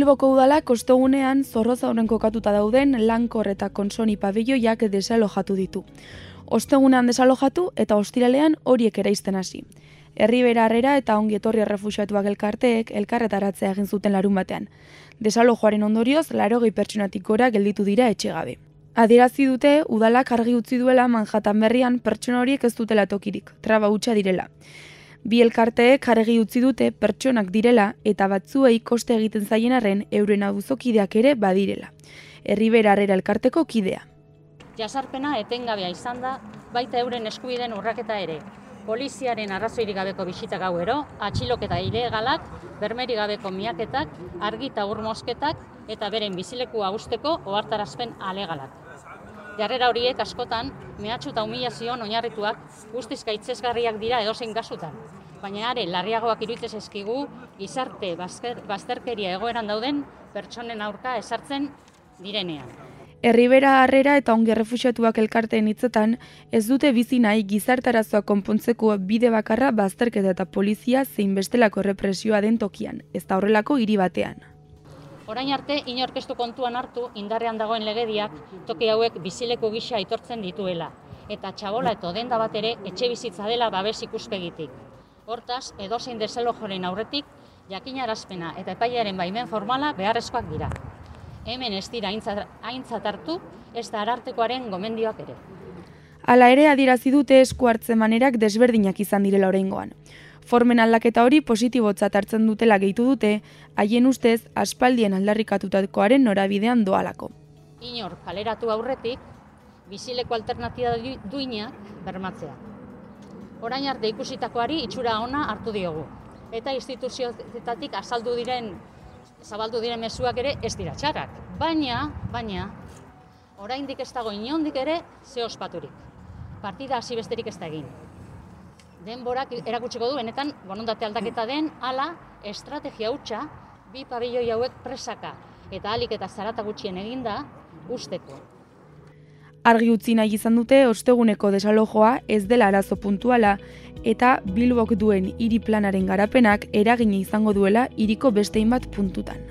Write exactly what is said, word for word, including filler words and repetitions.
Bilboko udalak ostegunean Zorrozauren kokatuta dauden Lankor eta Konsoni pabiloiak desalojatu ditu. Ostegunean desalojatu eta ostiralean horiek eraisten hasi. Herribera Harrera eta Ongi Etorri Errefuxiatuak elkarteek elkarretaratzea egin zuten larun batean. Desalojoaren ondorioz, laurogei pertsonatik gora gelditu dira etxegabe. Adierazi dute, udalak argi utzi duela Manhattan berrian pertsona horiek ez dutela tokirik, traba hutsa direla. Bi elkarteek argi utzi dute pertsonak direla eta batzuei koste egiten zaien arren euren auzokideak ere badirela. Herribera Harrera elkarteko kidea. Jasarpena etengabea izan da, baita euren eskubideen urraketa ere. Poliziaren arrazoirik gabeko bisita gauero, atxiloketa ilegalak, bermeri gabeko miaketak, argi eta ur mosketak eta beren bizilekua usteko ohartarazpen alegalak. Jarrera horiek askotan, mehatxu eta humilazioan oinarrituak guztiz gaitzesgarriak dira edozein kasutan. Baina are larriagoak iruditzen zaizkigu gizarte bazterkeria egoeran dauden pertsonen aurka ezartzen direnean. Herribera Harrera eta Ongi Errefuxiatuak elkarteen hitzetan, ez dute bizi nahi gizartarazoa konpontzeko bide bakarra bazterketa eta polizia zein bestelako errepresioa den tokian, ez da horrelako hiri batean. Orain arte, inorkestu kontuan hartu indarrean dagoen legediak toki hauek bizileko gisa aitortzen dituela, eta txabola eta denda bat ere etxe bizitza dela babes ikuspegitik. Hortaz, edozein desalojoren aurretik, jakinarazpena eta epailearen baimen formala beharrezkoak dira. Hemen ez dira aintzat hartu, ez da arartekoaren gomendioak ere. Hala ere adierazi dute esku hartze manerak desberdinak izan direla oraingoan. Formen aldaketa hori positibotzat hartzen dutela gehitu dute, haien ustez aspaldien aldarrikatutakoaren norabidean doalako. Inor kaleratu aurretik, bizileko alternatiba duinak bermatzea. Orain arte ikusitakoari itxura ona hartu diogu, eta instituzioetatik azaldu diren zabaldu diren mezuak ere ez dira txarrak. Baina, baina, oraindik ez dago inondik ere ze ospaturik. Partida hasi besterik ez da egin. Denborak erakutsiko du benetan borondate aldaketa den ala estrategia hutsa bi pabilloi hauek presaka eta ahalik eta zarata gutxien eginda usteko. Argi utzi nahi izan dute osteguneko desalojoa ez dela arazo puntuala eta Bilbok duen hiri planaren garapenak eragina izango duela hiriko beste hainbat puntutan.